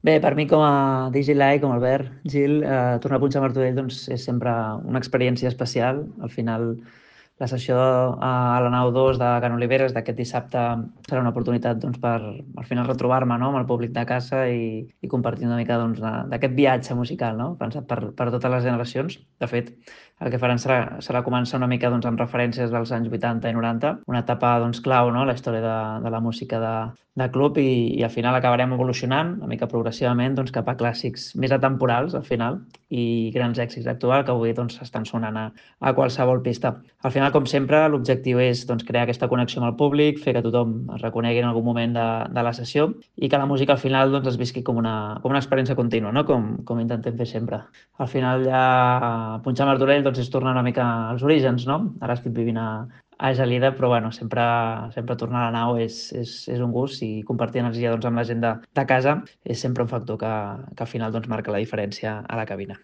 Bé, per mi com a DJ Live, com a Albert Gil, tornar a punxar Martorell doncs, és sempre una experiència especial. Al final, la sessió a la nau 2 de Can Oliveres d'aquest dissabte serà una oportunitat doncs, per al final retrobar-me, no?, amb el públic de casa i compartir una mica doncs, d'aquest viatge musical, no?, pensat per totes les generacions. De fet, el que faran serà començar una mica doncs, amb referències dels anys 80 i 90, una etapa doncs, clau, no?, la història de la música de club i al final acabarem evolucionant una mica progressivament doncs, cap a clàssics més atemporals al final i grans èxits actuals que avui doncs, estan sonant a qualsevol pista. Al final, com sempre, l'objectiu és doncs, crear aquesta connexió amb el públic, fer que tothom es reconegui en algun moment de la sessió i que la música al final doncs, es visqui com una experiència contínua, no? com intentem fer sempre. Al final ja punxar Martorell doncs, és tornar una mica als orígens, no? Ara estic vivint a Gelida, però bueno, sempre tornar a la nau és un gust i compartir energia doncs, amb la gent de casa és sempre un factor que al final doncs, marca la diferència a la cabina.